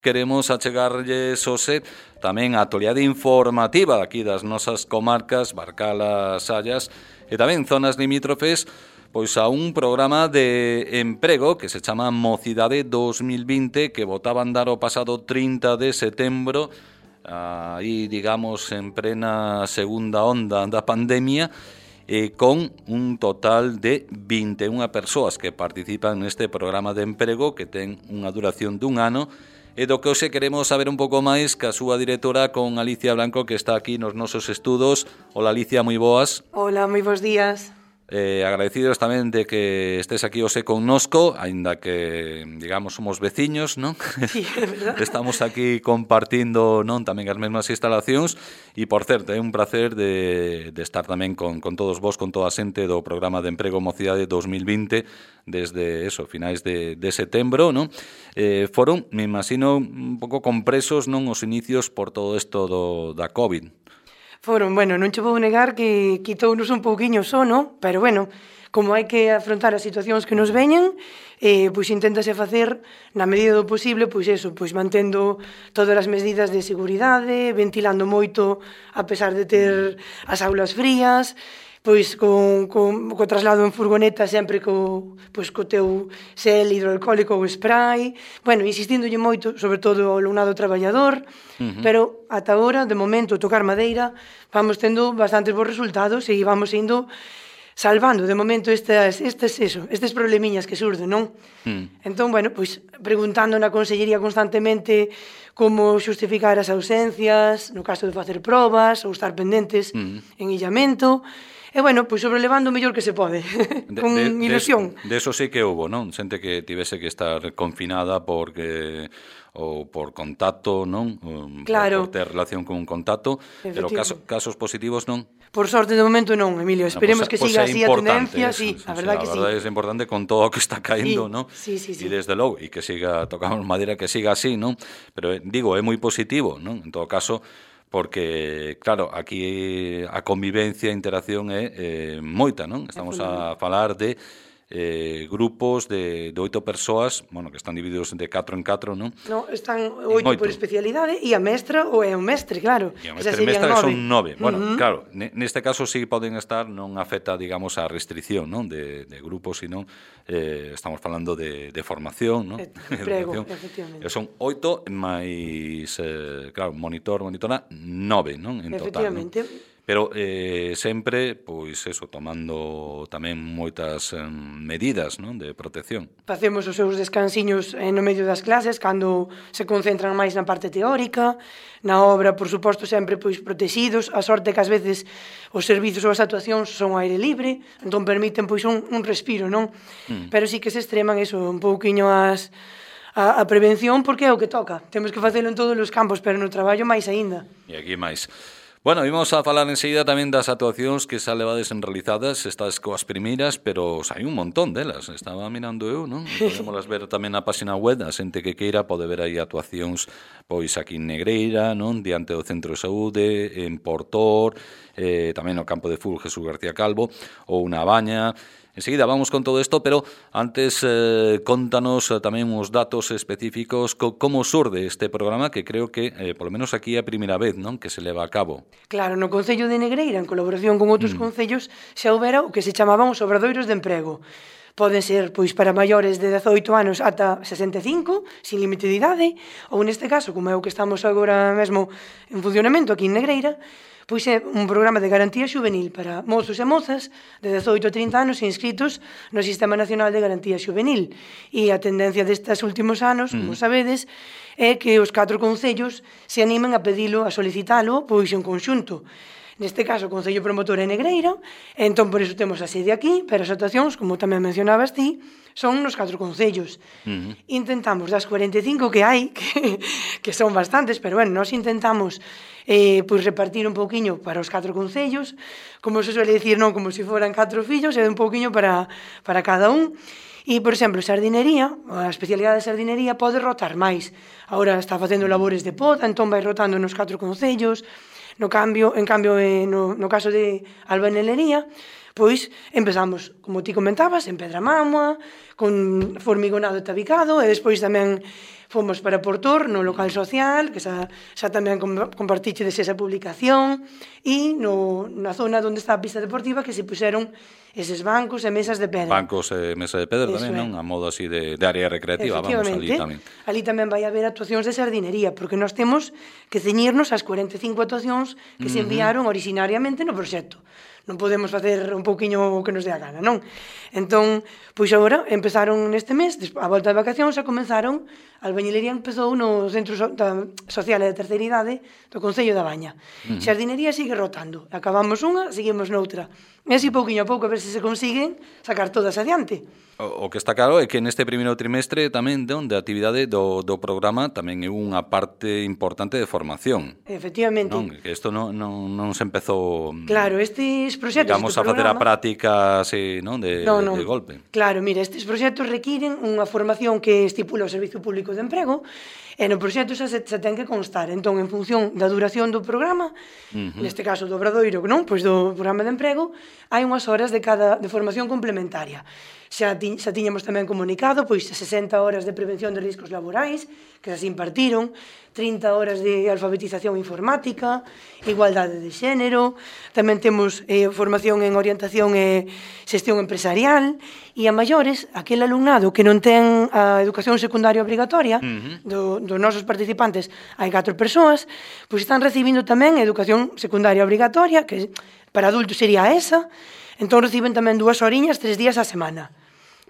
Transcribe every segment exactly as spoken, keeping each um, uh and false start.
Queremos achegarlles hoxe tamén a actualidade informativa aquí das nosas comarcas, Barcala, Sallas e tamén zonas limítrofes, pois a un programa de emprego que se chama Mocidade dos mil vinte, que botaban dar o pasado trinta de setembro, aí digamos en plena segunda onda da pandemia, e con un total de vinte e unha persoas que participan neste programa de emprego que ten unha duración dun ano, e do que hoxe queremos saber un pouco máis ca súa directora, con Alicia Blanco, que está aquí nos nosos estudos. Hola Alicia, moi boas. Hola, moi bons días. Eh, agradecidos tamén de que estés aquí hoxe connosco, aínda que, digamos, somos veciños, non? Sí, é verdad. Estamos aquí compartindo, non, tamén as mesmas instalacións, e, por certo, é un placer de, de estar tamén con, con todos vos, con toda a xente do programa de emprego Mocidade dos mil vinte, desde, eso, finais de, de setembro, non? Eh, foron, me imagino, un pouco compresos, non, os inicios por todo isto do, da COVID. Foron, bueno, non che vou negar que quitounos un pouquiño o sono, pero bueno, como hai que afrontar as situacións que nos veñen, eh, pois inténtase facer, na medida do posible, pois eso, pois mantendo todas as medidas de seguridade, ventilando moito a pesar de ter as aulas frías, pois con, con, co traslado en furgoneta sempre co, pois, co teu xel hidroalcohólico ou spray, bueno, insistíndolle moito, sobre todo ao alumnado traballador, uh-huh. Pero ata agora, de momento, tocar madeira, vamos tendo bastantes bons resultados e vamos indo salvando, de momento, estes, estes, eso, estes problemiñas que surden, non? Mm. Entón, bueno, pois, preguntando na Consellería constantemente como xustificar as ausencias, no caso de facer probas ou estar pendentes mm. en illamento. E, bueno, pois sobrelevando o mellor que se pode, con de, de, ilusión. De, de eso sí que hubo, non? Xente que tivese que estar confinada porque ou por contacto, non? Claro. Por ter relación con un contacto, pero caso, casos positivos non? Por sorte, de momento non, Emilio. Esperemos no, pues, que siga pues así a tendencia, eso, sí, a verdad sí, que sí. A verdade é importante con todo o que está caendo, sí, non? Sí, sí, sí. E desde logo, e que siga, tocamos madera, que siga así, non? Pero, digo, é moi positivo, non? En todo caso, porque, claro, aquí a convivencia, a interacción é eh, moita, non? Estamos a falar de eh, grupos de, de oito persoas, bueno, que están divididos de catro en catro, non? No, están oito por especialidade e a mestra ou é o mestre, claro. E a mestra e mestra nove. Son nove. Bueno, uh-huh. Claro, neste caso sí poden estar, non afecta, digamos, a restricción, non? De, de grupos, sino eh, estamos falando de, de formación, non? Prego, efectivamente. Son oito máis, eh, claro, monitor, monitora, nove, non? En efectivamente. Total, non? Pero eh, sempre, pois eso, tomando tamén moitas eh, medidas, non, de protección. Facemos os seus descansiños eh, no medio das clases, cando se concentran máis na parte teórica, na obra, por suposto, sempre pois protegidos. A sorte que ás veces os servizos ou as actuacións son ao aire libre, entón permiten pois un, un respiro, non? Mm. Pero sí que se extreman eso, un pouquiño as... A, a prevención, porque é o que toca. Temos que facelo en todos os campos, pero no traballo máis aínda. E aquí máis. Bueno, vimos a falar enseguida tamén das actuacións que xa levades en realizadas, estas coas primeiras, pero hai un montón delas, estaba mirando eu, non? Podemos ver tamén na página web, a xente que queira pode ver aí actuacións pois aquí en Negreira, non? Diante do Centro de Saúde, en Portor, eh, tamén no campo de fútbol Jesús García Calvo, ou na Baña. Enseguida vamos con todo isto, pero antes eh, contanos eh, tamén uns datos específicos co, como surde este programa, que creo que, eh, polo menos aquí é a primeira vez, non, que se leva a cabo. Claro, no Concello de Negreira, en colaboración con outros mm. concellos, xa houbera o que se chamaban os obradoiros de emprego. Poden ser pois para maiores de dezoito anos ata sesenta e cinco, sin límite de idade, ou neste caso, como é o que estamos agora mesmo en funcionamento aquí en Negreira, pois é un programa de garantía xuvenil para mozos e mozas de dezoito a trinta anos inscritos no Sistema Nacional de Garantía Xuvenil. E a tendencia destes últimos anos, como sabedes, é que os catro concellos se animen a pedilo, a solicitalo, pois en conxunto. Neste caso, o Concello Promotor é Negreira, entón por iso temos a sede aquí, pero as actuacións, como tamén mencionabas ti, son nos catro concellos. Uh-huh. Intentamos das cuarenta e cinco que hai, que, que son bastantes, pero bueno, nós intentamos eh, pois repartir un pouquiño para os catro concellos, como se suele dicir, non como se foran catro fillos, e un pouquiño para, para cada un. E, por exemplo, sardinería, a especialidade de sardinería pode rotar máis. Agora está facendo labores de poda, entón vai rotando nos catro concellos. No cambio, en cambio, eh, no, no caso de albanelería, pois empezamos, como ti comentabas, en Pedramamua, con formigonado e tabicado, e despois tamén fomos para Portor, no local social, que xa, xa tamén compartiche esa publicación, e no, na zona onde está a pista deportiva que se puxeron eses bancos e mesas de pedra. Bancos e mesas de pedra tamén, non? A modo así de, de área recreativa, vamos, ali tamén. Ali tamén vai haber actuacións de sardinería, porque nós temos que ceñirnos ás cuarenta e cinco actuacións que uh -huh. se enviaron originariamente no proxecto. Non podemos facer un pouquiño o que nos dé a gana, non? Entón, pois agora empezaron neste mes, a volta de vacacións, a comenzaron, a albañilería empezou no Centro Social e de Terceira Idade do Concello da Baña. Uh -huh. Xardinería sigue rotando. Acabamos unha, seguimos noutra. E así pouquiño a pouco a ver se se consiguen sacar todas adiante. O, o que está claro é que neste primeiro trimestre tamén de, de actividade do, do programa tamén é unha parte importante de formación. Efectivamente. Non? Que isto non, non, non se empezou... Claro, estes proxectos... Digamos, a facer a práctica así, non? De, no, no. de golpe. Claro, mira, estes proxectos requiren unha formación que estipula o Servicio Público de Emprego e no proxecto xa se, se ten que constar. Entón, en función da duración do programa, uh -huh. neste caso do Obradoiro, non? Pois do programa de emprego, hai unhas horas de cada de formación complementaria. Xa, ti, xa tiñamos tamén comunicado pois sesenta horas de prevención de riscos laborais que se impartiron, trinta horas de alfabetización informática, igualdade de xénero, tamén temos eh, formación en orientación e xestión empresarial, e a maiores, aquel alumnado que non ten a educación secundaria obrigatoria, uh -huh. do, dos nosos participantes hai catro persoas, pois están recibindo tamén educación secundaria obrigatoria, que para adultos sería esa, entón reciben tamén dúas horiñas, tres días á semana,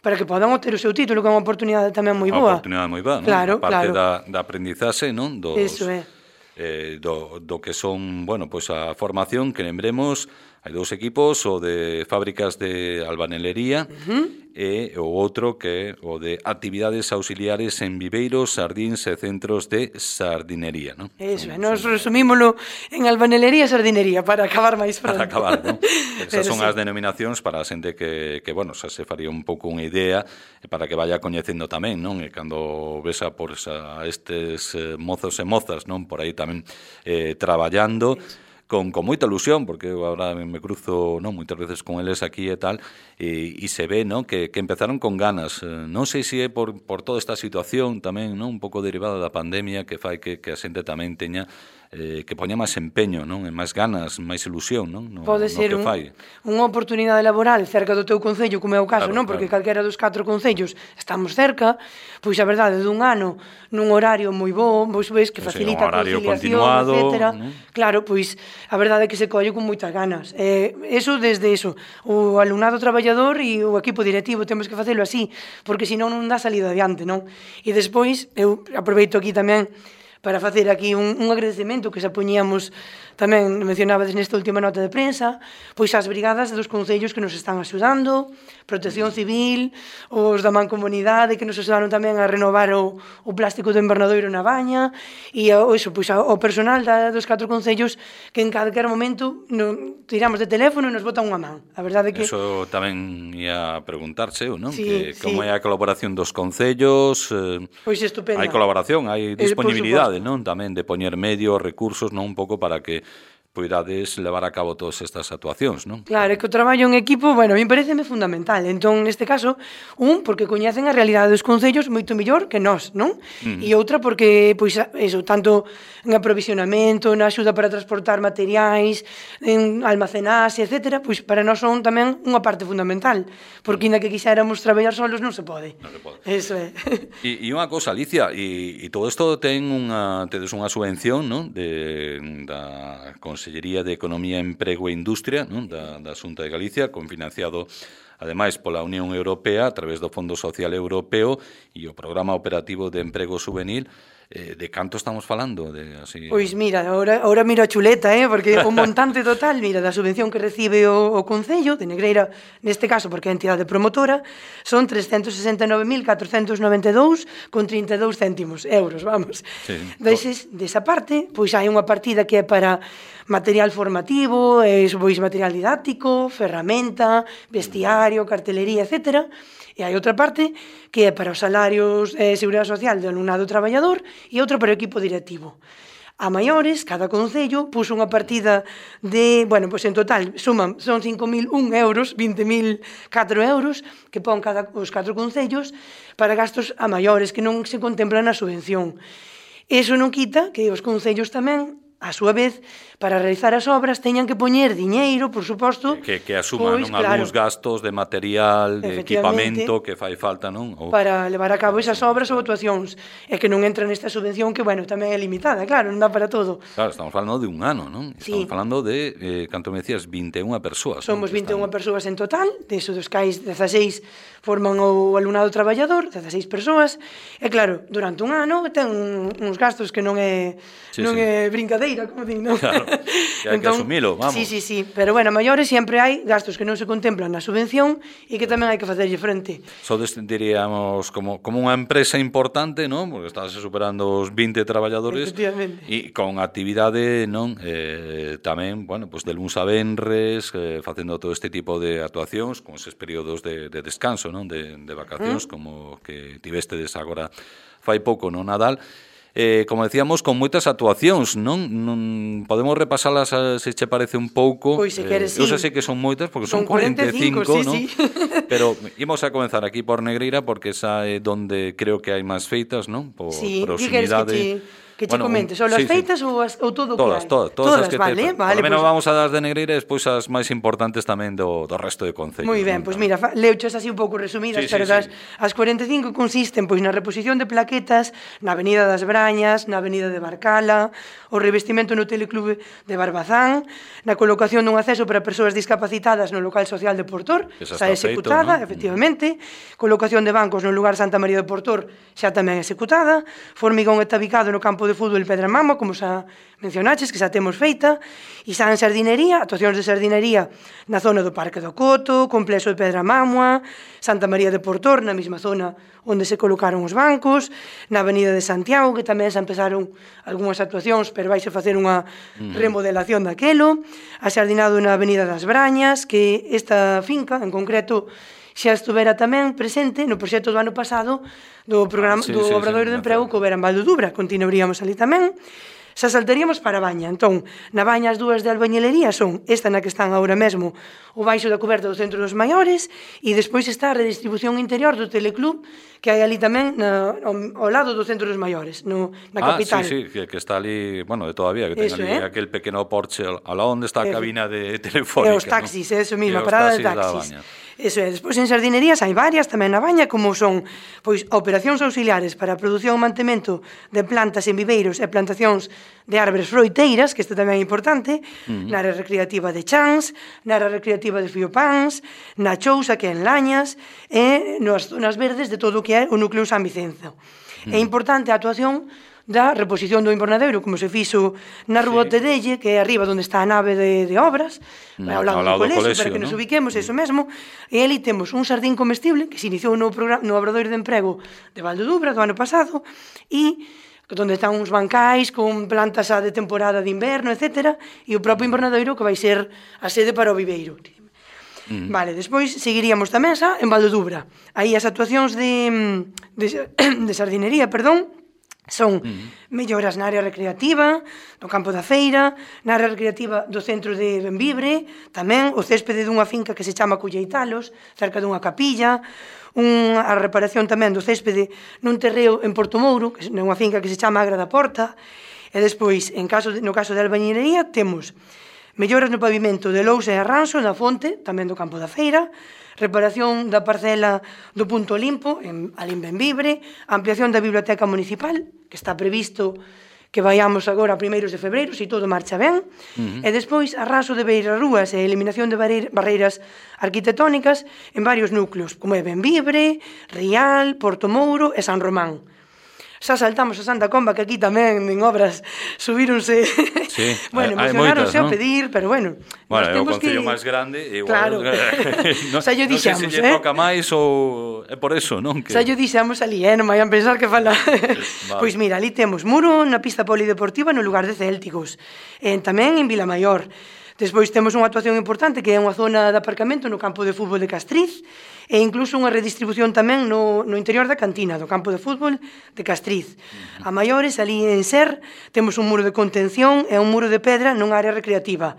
para que podan obter o seu título, que é unha oportunidade tamén moi boa. Unha oportunidade moi boa, non? Claro, a parte claro. da, da aprendizaxe, non? Dos, Eso é. Eh, do, do que son, bueno, pois pues a formación que lembremos, hai dous equipos, o de fábricas de albanelería uh -huh. e o outro que é o de actividades auxiliares en viveiros, sardíns e centros de sardinería, non? Eso, son, nos son... resumímolo en albanelería e sardinería para acabar máis pronto. Para acabar, non? Esas son sí. as denominacións para a xente que, que, bueno, xa se faría un pouco unha idea para que vaya coñecendo tamén, non? E cando vesa por a estes eh, mozos e mozas, non? Por aí tamén eh, traballando, eso. Con, con moita ilusión, porque eu agora me cruzo, non, moitas veces con eles aquí e tal, e, e se ve, non, que, que empezaron con ganas. Non sei se é por, por toda esta situación tamén, non, un pouco derivada da pandemia, que fai que, que a xente tamén teña eh, que poña máis empeño, non, e máis ganas, máis ilusión, non, no, pode no ser que un, fai. unha oportunidade laboral cerca do teu concello, como é o caso, claro, non, porque claro. calquera dos catro concellos estamos cerca, pois a verdade dun ano nun horario moi bo, pois ves que facilita sí, a conciliación, etcétera. ¿No? Claro, pois a verdade é que se colle con moitas ganas. Eh, eso desde eso, o alumnado traballador e o equipo directivo temos que facelo así, porque senón non dá salida adiante, non? E despois, eu aproveito aquí tamén para facer aquí un, un agradecemento que xa poñíamos tamén, mencionabades nesta última nota de prensa, pois as brigadas dos concellos que nos están axudando, Protección Civil, os da Mancomunidade que nos axudaron tamén a renovar o, o plástico do invernadoiro na Baña, e o, eso, pois, o personal da, dos catro concellos que en calquer momento no, tiramos de teléfono e nos botan unha man. A verdade é que... Eso tamén ia preguntarse, non? Sí, que, como sí. é a colaboración dos concellos? Eh, pois estupenda. Hai colaboración, hai disponibilidade, eh, non? Tamén de poñer medios, recursos, non? Un pouco para que poidades levar a cabo todas estas actuacións, non? Claro, é que o traballo en equipo, bueno, a mí pareceme fundamental. Entón, neste caso, un, porque coñecen a realidade dos concellos moito mellor que nós, non? Uh -huh. E outra porque, pois, eso, tanto en aprovisionamento, na axuda para transportar materiais, en almacenaxe, etcétera, pois para nós son tamén unha parte fundamental, porque ainda que quixéramos traballar solos non se pode. Non se pode. Eso é. E, e unha cosa, Alicia, e, e todo isto ten unha, tedes unha subvención, non? De, da Consellería de Economía, Emprego e Industria, non? Da, da Xunta de Galicia, confinanciado ademais pola Unión Europea a través do Fondo Social Europeo e o Programa Operativo de Emprego Juvenil. Eh, de canto estamos falando? De, así... Pois mira, ahora, ahora miro a chuleta, eh, porque o montante total, mira, da subvención que recibe o, o Concello de Negreira, neste caso porque é a entidade promotora, son trescentos sesenta e nove mil catrocentos noventa e dous con trinta e dous céntimos euros, vamos. Sí. Deses, desa parte, pois hai unha partida que é para material formativo, eh, pois material didáctico, ferramenta, vestiario, cartelería, etcétera. E hai outra parte que é para os salarios e eh, seguridade social do alumnado traballador e outra para o equipo directivo. a maiores, cada concello puso unha partida de, bueno, pois en total suman, son cinco mil un euros, vinte mil catro euros que pon cada os catro concellos para gastos a maiores que non se contemplan na subvención. Eso non quita que os concellos tamén, a súa vez, para realizar as obras teñan que poñer diñeiro, por suposto, que, que asuman pois, non, claro, algúns gastos de material, de equipamento que fai falta, non? Ou... para levar a cabo esas obras ou actuacións, e que non entra nesta subvención que, bueno, tamén é limitada, claro, non dá para todo. Claro, estamos falando de un ano, non? Estamos Sí. falando de, eh, canto me decías, vinte e unha persoas. Somos non? vinte e unha Están... persoas en total, deso dos cais dezaseis forman o alumnado traballador, dezaseis persoas, e claro, durante un ano ten uns gastos que non é Sí, non sí. é brincadeira, como din, non? Claro, que hai que asumilo, vamos. Sí, sí, sí, pero bueno, a maiores sempre hai gastos que non se contemplan na subvención e que tamén hai que facerlle frente. Sodes, diríamos, como, como unha empresa importante, non? Porque estás superando os vinte traballadores e con actividade, non? Eh, tamén, bueno, pues de luns a venres, eh, facendo todo este tipo de actuacións, con eses períodos de, de descanso, non? De, de vacacións, mm. como que tivestedes agora fai pouco no Nadal. Eh, como decíamos, con moitas actuacións, non? non podemos repasalas a, se che parece un pouco. Pois se queres, eh, eu sí. sei que son moitas porque son, son cuarenta e cinco, cuarenta e cinco, sí, non? sí. Pero imos a comenzar aquí por Negreira porque esa é donde creo que hai máis feitas, non? Por sí, proximidade. Que che, que che bueno, comente, só sí, as feitas sí. ou, as, ou todo o todas, que hai? Todas, todas, todas as que vale, te, vale, por lo menos pues, vamos a das de Negreira e despois as máis importantes tamén do, do resto de concellos. Moi ben, pois pues mira, leuchas así un pouco resumidas, sí, pero sí, das, sí. as cuarenta e cinco consisten pois na reposición de plaquetas na Avenida das Brañas, na Avenida de Barcala, o revestimento no Teleclube de Barbazán, na colocación dun acceso para persoas discapacitadas no local social de Portor, Esa xa está executada, feito, ¿no? efectivamente, colocación de bancos no lugar Santa María de Portor, xa tamén executada, formigón e tabicado no campo de fútbol Pedra Mamo, como xa mencionaches, que xa temos feita, e xa en sardinería, actuacións de sardinería na zona do Parque do Coto, complexo de Pedra Mamua, Santa María de Portor, na mesma zona onde se colocaron os bancos, na Avenida de Santiago, que tamén xa empezaron algunhas actuacións, pero vais a facer unha remodelación daquelo, a sardinado na Avenida das Brañas, que esta finca, en concreto, xa estuvera tamén presente no proxecto do ano pasado do programa ah, sí, do sí, Obradoiro sí, de Emprego que houbera en Valdo Dubra, continuaríamos ali tamén. Xa saltaríamos para a Baña. Entón, na Baña as dúas de albañilería son esta na que están agora mesmo o baixo da coberta do Centro dos Maiores e despois está a redistribución interior do Teleclub que hai ali tamén na, ao, ao lado do Centro dos Maiores, no, na ah, capital. sí, sí, que, que está ali, bueno, de todavía, que ten Eso, ali eh? aquel pequeno porche ao lado onde está a Efe. cabina de telefónica. E os taxis, ¿no? eso mesmo, a os parada de taxis taxis. Eso é, despois en sardinerías hai varias tamén na Baña, como son pois operacións auxiliares para a produción e mantemento de plantas en viveiros e plantacións de árbores froiteiras, que isto tamén é importante, uh-huh. na área recreativa de Chans, na área recreativa de Fiopans, na Chousa, que é en Lañas, e nas zonas verdes de todo o que é o núcleo San Vicenzo. Uh-huh. É importante a actuación da reposición do invernadeiro, como se fixo na Rúa sí. Tedelle, que é arriba onde está a nave de, de obras, mm, ao lado, ao lado do, colexio, do colexio, para que ¿no? nos ubiquemos, eso mesmo, e ali temos un sardín comestible que se iniciou no, programa, no Obradoiro de Emprego de Valdo Dubra do ano pasado, e onde están uns bancais con plantas de temporada de inverno, etcétera, e o propio invernadeiro que vai ser a sede para o viveiro. Mm. Vale, despois seguiríamos tamén xa en Valdo Dubra. Aí as actuacións de, de, de sardinería, perdón, son uh-huh. melloras na área recreativa, no campo da feira, na área recreativa do centro de Benvibre, tamén o céspede dunha finca que se chama Culleitalos, cerca dunha capilla, unha a reparación tamén do céspede nun terreo en Portomouro, que é unha finca que se chama Agra da Porta, e despois, en caso de, no caso de albañilería, temos melloras no pavimento de Lousa e Arranso, na Fonte, tamén do campo da feira, reparación da parcela do Punto Limpo, en Alín Benvibre, ampliación da biblioteca municipal, que está previsto que vayamos agora a primeiros de febreiro, se todo marcha ben, uh-huh. e despois arraso de beirarrúas e eliminación de barreiras arquitectónicas en varios núcleos, como é Benvibre, Rial, Portomouro e San Román. Xa saltamos a Santa Comba, que aquí tamén en obras subíronse, sí, bueno, hai, emocionáronse hai moitas, a pedir, ¿no? Pero bueno, bueno, é o temos concello que... máis grande, igual, claro. no, xa yo dixamos, non sei se lle eh? toca máis ou é por eso, non? Que... Xa yo dixamos ali, eh? Non vayan pensar que fala... Vale. Pois mira, ali temos muro na pista polideportiva no lugar de Célticos, e tamén en Vilamaior. Despois temos unha actuación importante que é unha zona de aparcamento no campo de fútbol de Castriz e incluso unha redistribución tamén no, no interior da cantina do campo de fútbol de Castriz. A maiores, ali en Ser, temos un muro de contención e un muro de pedra nunha área recreativa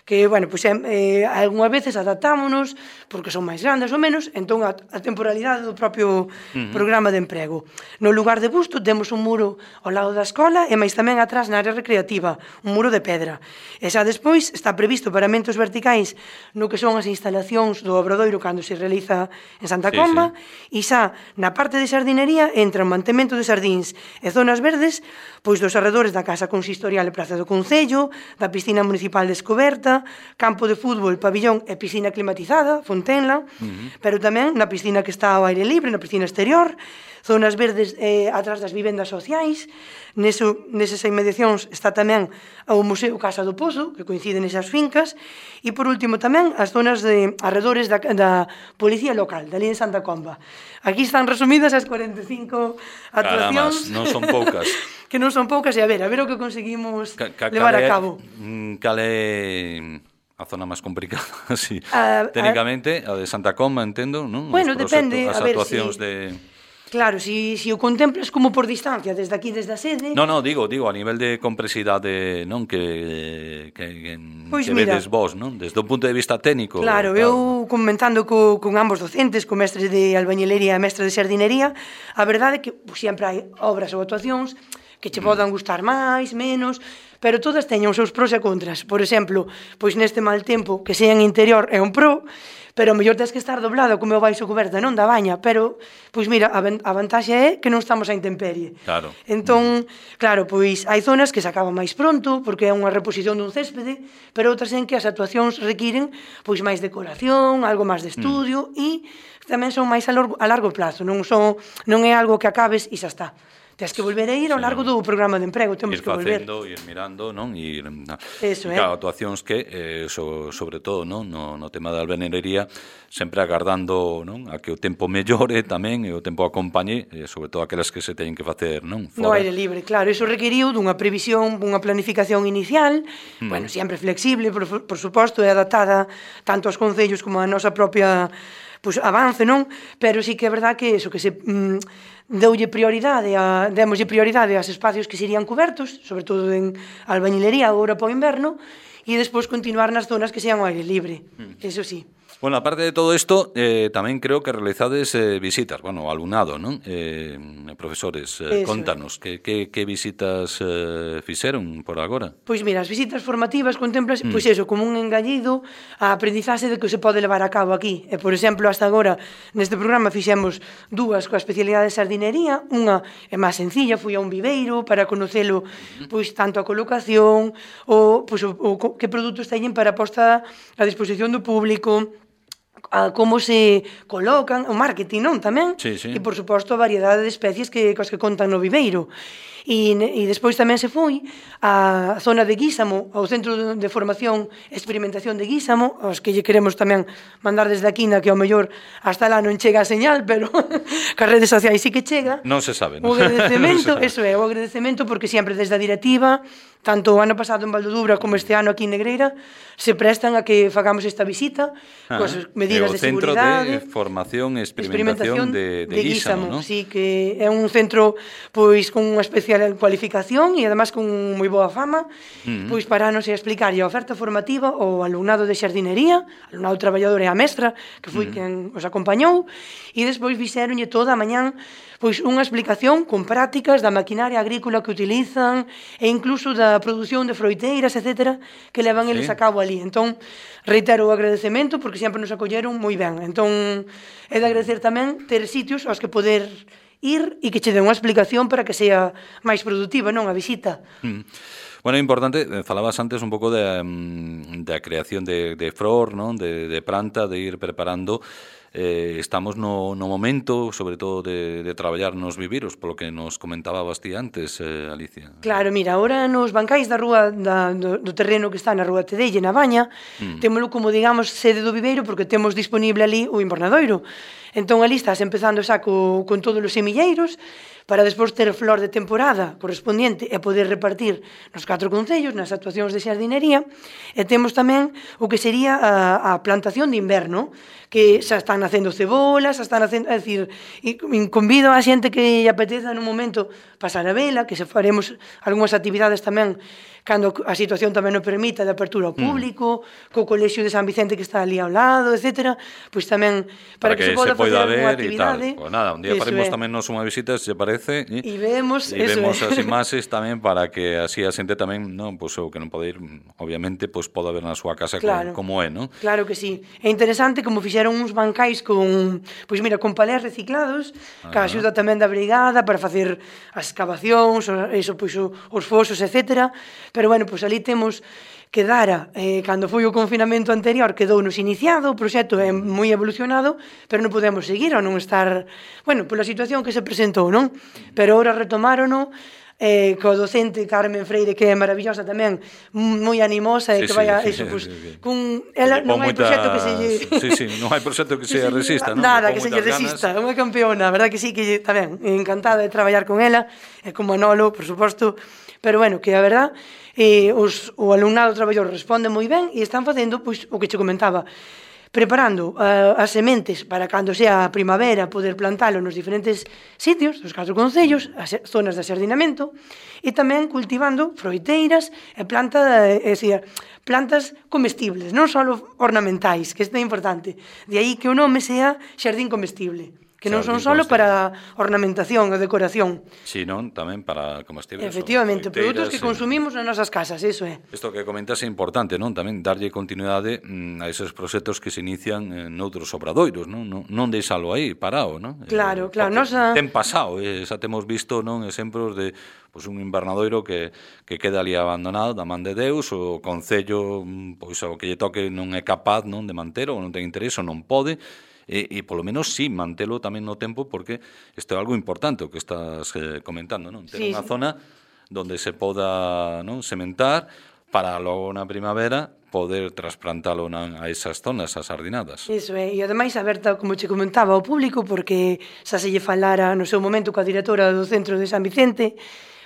que, bueno, pois, eh, algunhas veces adaptámonos porque son máis grandes ou menos, entón a, a temporalidade do propio uh-huh. programa de emprego. No lugar de Busto temos un muro ao lado da escola e máis tamén atrás na área recreativa, un muro de pedra. E xa despois está previsto paramentos verticais no que son as instalacións do obradoiro cando se realiza en Santa Comba, sí, sí. E xa na parte de sardinería entra o mantemento de sardíns e zonas verdes pois dos arredores da Casa Consistorial e Praza do Concello, da piscina municipal descoberta, campo de fútbol, pabillón e piscina climatizada, Fontenla, uh-huh. pero tamén na piscina que está ao aire libre, na piscina exterior, zonas verdes eh, atrás das vivendas sociais. Neso, nesas inmediacións está tamén o Museo Casa do Pozo, que coincide nesas fincas, e por último tamén as zonas de arredores da, da Policía Local, dali en Santa Comba. Aquí están resumidas as cuarenta e cinco actuacións. Caramba, non son poucas. Que non son poucas, e a ver, a ver o que conseguimos ca, ca, levar a cabo. Cal é a zona máis complicada, así, a, técnicamente, a de Santa Comba, entendo, non? Bueno, depende, as a ver, actuacións si... de... Claro, si, si o contemplas como por distancia, desde aquí, desde a sede... No, no, digo, digo, a nivel de complexidade, non, que, que, que, pois que mira, vedes vos, non? Desde un punto de vista técnico. Claro, claro. Eu comentando co, con ambos docentes, co mestre de albañilería e mestre de sardinería, a verdade é que pues, sempre hai obras ou actuacións que che podan gustar máis, menos, pero todas teñen os seus pros e contras. Por exemplo, pois neste mal tempo, que sea en interior é un pro, pero o mellor tens que estar doblado como o baixo coberta, non da baña, pero, pois mira, a, a vantaxe é que non estamos á intemperie. Claro. Entón, claro, pois hai zonas que se acaban máis pronto, porque é unha reposición dun céspede, pero outras en que as actuacións requiren pois máis decoración, algo máis de estudio, mm. e tamén son máis a largo, a largo plazo, non son non é algo que acabes e xa está. Tens que volver a ir ao largo do programa de emprego, temos que volver. Ir facendo, ir mirando, non? Ir, Eso, e, claro, actuacións que, eh, so, sobre todo, non? No, no tema da albañilería, sempre agardando, non? A que o tempo mellore tamén e o tempo acompañe, e sobre todo aquelas que se teñen que facer, non? Fora. No aire libre, claro, iso requeriu dunha previsión, unha planificación inicial, mm. bueno, sempre flexible, por, por suposto, e adaptada tanto aos concellos como a nosa propia pues, avance, non? Pero sí que é verdad que eso, que se... Mm, deulle prioridade a, démoslle prioridade aos espacios que serían cobertos, sobre todo en albañilería agora para o inverno, e despois continuar nas zonas que sean ao aire libre, mm. eso sí. Bueno, aparte de todo isto, eh, tamén creo que realizades eh, visitas, bueno, alumnado, non? Eh, profesores, eh, contanos, que, que, que visitas eh, fixeron por agora? Pois mira, as visitas formativas contemplas, mm. pois eso, como un engallido a aprendizaxe de que se pode levar a cabo aquí. E, por exemplo, hasta agora, neste programa fixemos dúas coa especialidade de sardinería, unha é máis sencilla, fui a un viveiro para conocelo, pois, tanto a colocación, ou, pois, o, o, que produtos teñen para posta a disposición do público, a como se colocan, o marketing, non, tamén? Sí, sí. E, por suposto, a variedade de especies que, cos que contan no viveiro. E, e despois tamén se foi á zona de Guísamo, ao Centro de Formación e Experimentación de Guísamo, aos que lle queremos tamén mandar desde aquí, na que ao mellor hasta lá non chega a señal, pero cas redes sociais sí que chega. Non se sabe, non? O agradecemento, eso é, o agradecemento, porque sempre desde a directiva, tanto o ano pasado en Valdodubra como este ano aquí en Negreira, se prestan a que fagamos esta visita, ah, coas medidas de seguridade. O Centro de Formación e Experimentación, experimentación de, de, de Guísamo, non? Sí, que é un centro pois con unha especial cualificación e además con moi boa fama, uh-huh. pois para nos explicar a oferta formativa ao alumnado de xardinería, alumnado traballador e a mestra, que foi uh-huh. quen os acompañou, e despois fixeronlle toda a mañán pois unha explicación con prácticas da maquinaria agrícola que utilizan e incluso da produción de froiteiras, etcétera, que levan sí. eles a cabo ali. Entón, reitero o agradecemento porque sempre nos acolleron moi ben. Entón, é de agradecer tamén ter sitios aos que poder ir e que che den unha explicación para que sea máis productiva, non, a visita. Mm. Bueno, é importante, falabas antes un pouco da de, de creación de, de flor, non? De, de planta, de ir preparando. Eh, estamos no, no momento, sobre todo, de, de traballar nos viviros, polo que nos comentabas ti antes, eh, Alicia. Claro, mira, ahora nos bancais da rúa da, do, do terreno que está na Rúa Tedelle, na Baña, mm. témolo como, digamos, sede do viveiro, porque temos disponible ali o invernadoiro. Entón, ali estás empezando xa co, con todos os semilleiros, para despois ter flor de temporada correspondiente e poder repartir nos catro concellos, nas actuacións de xardinería, e temos tamén o que sería a, a plantación de inverno, que xa están nacendo cebolas, xa están nacendo, é dicir, e convido a xente que lle apeteza nun momento pasar a vela, que se faremos algunhas actividades tamén cando a situación tamén o permita de apertura ao público, mm. co colexio de San Vicente que está ali ao lado, etcétera, pois tamén para, para que, que se poda facer algunha actividade. Pues nada, un día faremos tamén nos unha visita, se parece, e, e vemos, e vemos as imaxes tamén para que así a xente tamén, non, pois o que non pode ir, obviamente, pois poda ver na súa casa claro. como, como é, non? Claro que sí. É interesante como fixeron uns bancais con, pois mira, con palés reciclados, ah, que axuda tamén da brigada para facer as excavacións, eso, pois, os fosos, etcétera. Pero, bueno, pois ali temos que dara, eh, cando foi o confinamento anterior, quedou-nos iniciado, o proxecto é moi evolucionado, pero non podemos seguir ou non estar, bueno, pola situación que se presentou, non? Pero ahora retomárono, eh, co docente Carmen Freire, que é maravillosa tamén, moi animosa, e sí, que vai a, sí, eso, sí, pues, sí, sí. Con, ela, non hai proxecto que se lle... Sí, sí, non hai proxecto que se resista, non? Nada, que se lle resista, é unha campeona, verdad que sí, que tamén, encantada de traballar con ela, e con Manolo, por suposto, pero bueno, que a verdad, eh, os, o alumnado traballador responde moi ben e están facendo, pois, o que che comentaba, preparando uh, as sementes para cando sea a primavera poder plantalo nos diferentes sitios dos catro concellos, as zonas de xardinamento, e tamén cultivando froiteiras e planta, é dicir, plantas comestibles, non só ornamentais, que isto é importante. De aí que o nome sea xardín comestible, que non son só para ornamentación e decoración. Si, non, tamén para comestibles. Efectivamente, produtos que consumimos nas nosas casas, iso é. Isto que comentas é importante, non? Tamén darlle continuidade a esos proxectos que se inician noutros obradoiros, non? Non deixalo aí parado, non? Claro, claro. Nosa... Ten pasado, xa temos visto, non, exemplos de pois un invernadoiro que, que queda ali abandonado da man de Deus, o concello, pois o que lle toque non é capaz, non, de manter, ou non ten interés, ou non pode, e, e polo menos sí, mantelo tamén no tempo, porque isto é algo importante o que estás eh, comentando, non? Ter sí, unha sí. zona donde se poda, non, sementar para logo na primavera poder trasplantalo na, a esas zonas, as sardinadas. Iso é, e ademais aberta, como che comentaba, ao público, porque xa se lle falara no seu momento coa directora do Centro de San Vicente,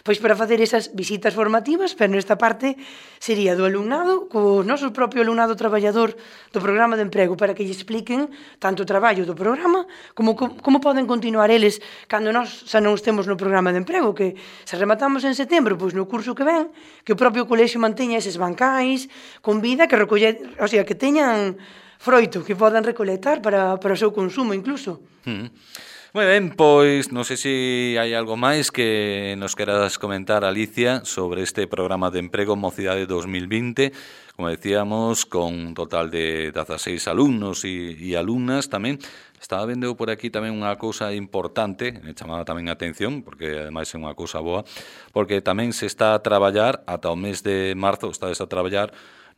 pois para facer esas visitas formativas, pero nesta parte sería do alumnado, co noso propio alumnado traballador do programa de emprego, para que lle expliquen tanto o traballo do programa, como como poden continuar eles cando nós xa non estemos no programa de emprego, que se rematamos en setembro, pois no curso que ven, que o propio colexio manteña eses bancais, con vida, que recoller, o sea, que teñan froito, que podan recolectar para, para o seu consumo incluso. Mm. Moi ben, pois non sei se hai algo máis que nos queras comentar, Alicia, sobre este programa de emprego Mocidade dos mil vinte, como decíamos, con un total de dezaseis alumnos e, e alumnas tamén. Estaba vendo por aquí tamén unha cousa importante, me chamaba tamén a atención, porque ademais é unha cousa boa, porque tamén se está a traballar ata o mes de marzo, estades a traballar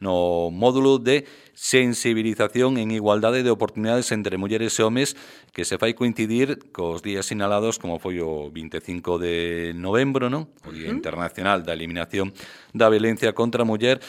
no módulo de sensibilización en igualdade de oportunidades entre mulleres e homes, que se fai coincidir cos días sinalados como foi o vinte e cinco de novembro, non? O Día uh-huh. Internacional da Eliminación da Violencia contra a Muller.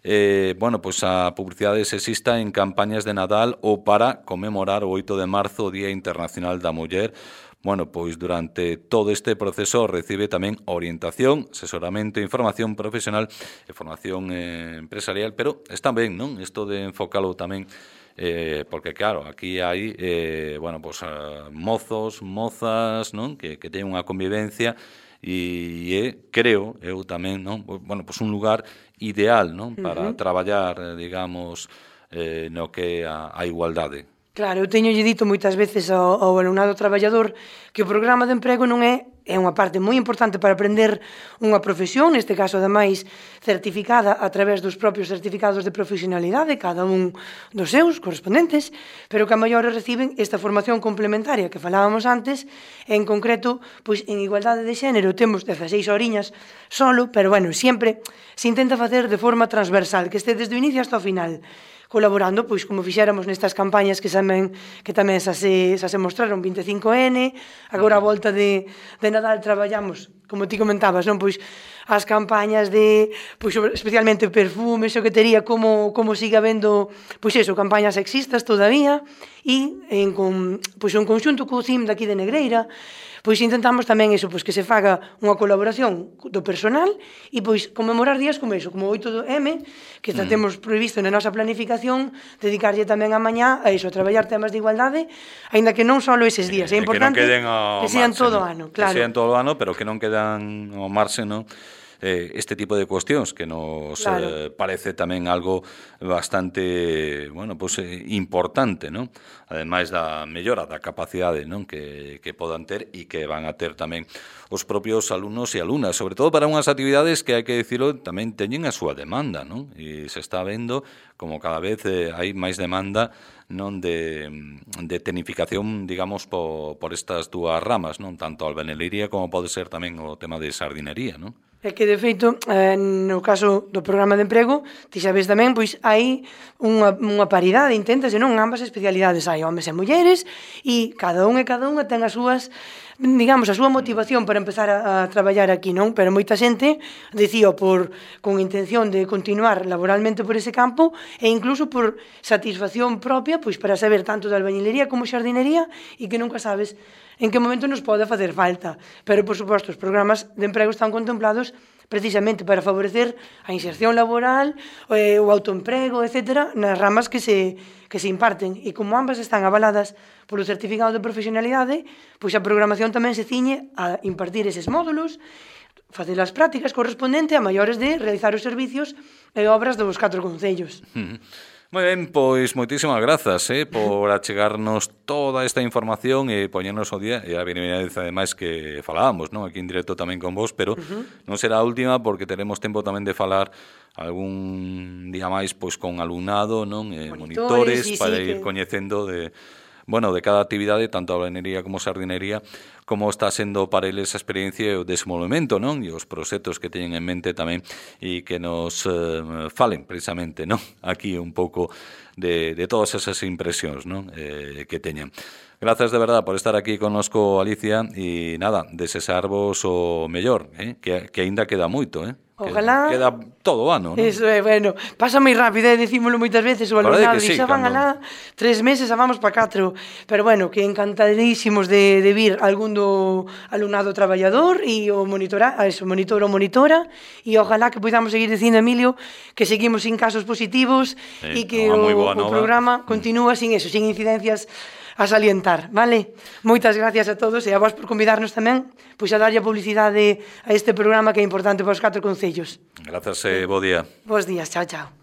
Eh, bueno, pois a publicidade sexista en campañas de Nadal ou para conmemorar o oito de marzo, o Día Internacional da Muller. Bueno, pois durante todo este proceso recibe tamén orientación, asesoramento, información profesional e formación eh, empresarial, pero está ben, non? Isto de enfocalo tamén, eh, porque claro, aquí hai, eh, bueno, pois uh, mozos, mozas, non? Que, que teñen unha convivencia e é, creo, eu tamén, non? Bueno, pois un lugar ideal, non? Para uh-huh. traballar, digamos, eh, no que é a, a igualdade. Claro, eu teño lle dito moitas veces ao, ao alumnado traballador que o programa de emprego non é é unha parte moi importante para aprender unha profesión, neste caso, ademais, certificada a través dos propios certificados de profesionalidade, cada un dos seus correspondentes, pero que a maiores reciben esta formación complementaria que falábamos antes, en concreto, pois, en igualdade de xénero temos dezaseis horiñas solo, pero, bueno, sempre se intenta facer de forma transversal, que este desde o inicio hasta o final, colaborando, pois, como fixéramos nestas campañas que tamén que tamén xa se, xa se mostraron, vinte e cinco ene, agora a volta de, de Nadal traballamos, como ti comentabas, non, pois, as campañas de, pois, especialmente perfumes, xoquetería, como, como siga habendo, pois eso, campañas sexistas todavía, e en, con, pois, en conxunto co C I M daqui de Negreira, pois intentamos tamén iso, pois que se faga unha colaboración do personal e pois conmemorar días como iso, como o oito eme, que mm. temos previsto na nosa planificación dedicarlle tamén a mañá a iso, a traballar temas de igualdade, aínda que non só eses días, é importante que, que sean marxe, todo o ano, claro. Que sean todo o ano, pero que non quedan ao marxe, non? Eh, este tipo de cuestións que nos claro. eh, parece tamén algo bastante, bueno, pues, eh, importante, non? Ademais da mellora da capacidade, non? Que, que podan ter e que van a ter tamén os propios alumnos e alumnas, sobre todo para unhas actividades que, hai que dicilo, tamén teñen a súa demanda, non? E se está vendo como cada vez eh, hai máis demanda non de, de tecnificación, digamos, por, por estas dúas ramas, non? Tanto a albañilería como pode ser tamén o tema de sardinería, non? É que, de feito, eh, no caso do programa de emprego, ti sabes tamén, pois hai unha, unha paridade, inténtase, non? Ambas especialidades, hai homes e mulleres, e cada un e cada unha ten as súas, digamos, a súa motivación para empezar a, a traballar aquí, non? Pero moita xente decía por con intención de continuar laboralmente por ese campo e incluso por satisfacción propia, pois para saber tanto de albañilería como xardinería e que nunca sabes en que momento nos pode facer falta. Pero, por suposto, os programas de emprego están contemplados precisamente para favorecer a inserción laboral, eh, o autoemprego, etcétera, nas ramas que se, que se imparten. E como ambas están avaladas polo certificado de profesionalidade, pois a programación tamén se ciñe a impartir eses módulos, facer as prácticas correspondente a maiores de realizar os servicios e obras dos catro concellos. Uh-huh. Moi ben, pois moitísimas grazas eh, por achegarnos toda esta información e poñernos o día, e a primeira vez ademais que falábamos, non? Aquí en directo tamén con vos, pero uh-huh. non será a última porque teremos tempo tamén de falar algún día máis pois con alumnado, non? Eh, monitores, monitores sí, para sí, ir que... coñecendo de bueno, de cada actividade, tanto a albañilería como a sardinería, como está sendo para eles a experiencia e o desenvolvemento, non? E os proxectos que teñen en mente tamén e que nos eh, falen precisamente, non? Aquí un pouco de, de todas esas impresións, non? Eh, que teñen. Grazas de verdad por estar aquí connosco, Alicia, e nada, desexarvos o mellor, eh? que, que aínda queda moito, eh? Ojalá... Queda todo o ano, non? Eso é, bueno, pasa moi rápido, eh, dicímolo moitas veces, o alumnado, sí, xa van alá tres meses, a vamos pa catro, pero bueno, que encantadísimos de, de vir algún do alumnado traballador e o monitora, eso, monitor ou monitora, e ojalá que podamos seguir dicindo, Emilio, que seguimos sin casos positivos e sí, que o, o programa continúa sin eso, sin incidencias a salientar, vale? Moitas gracias a todos e a vos por convidarnos tamén pois a darlle a publicidade a este programa que é importante para os catro concellos. Grazas e bo día. Bos días, chao, chao.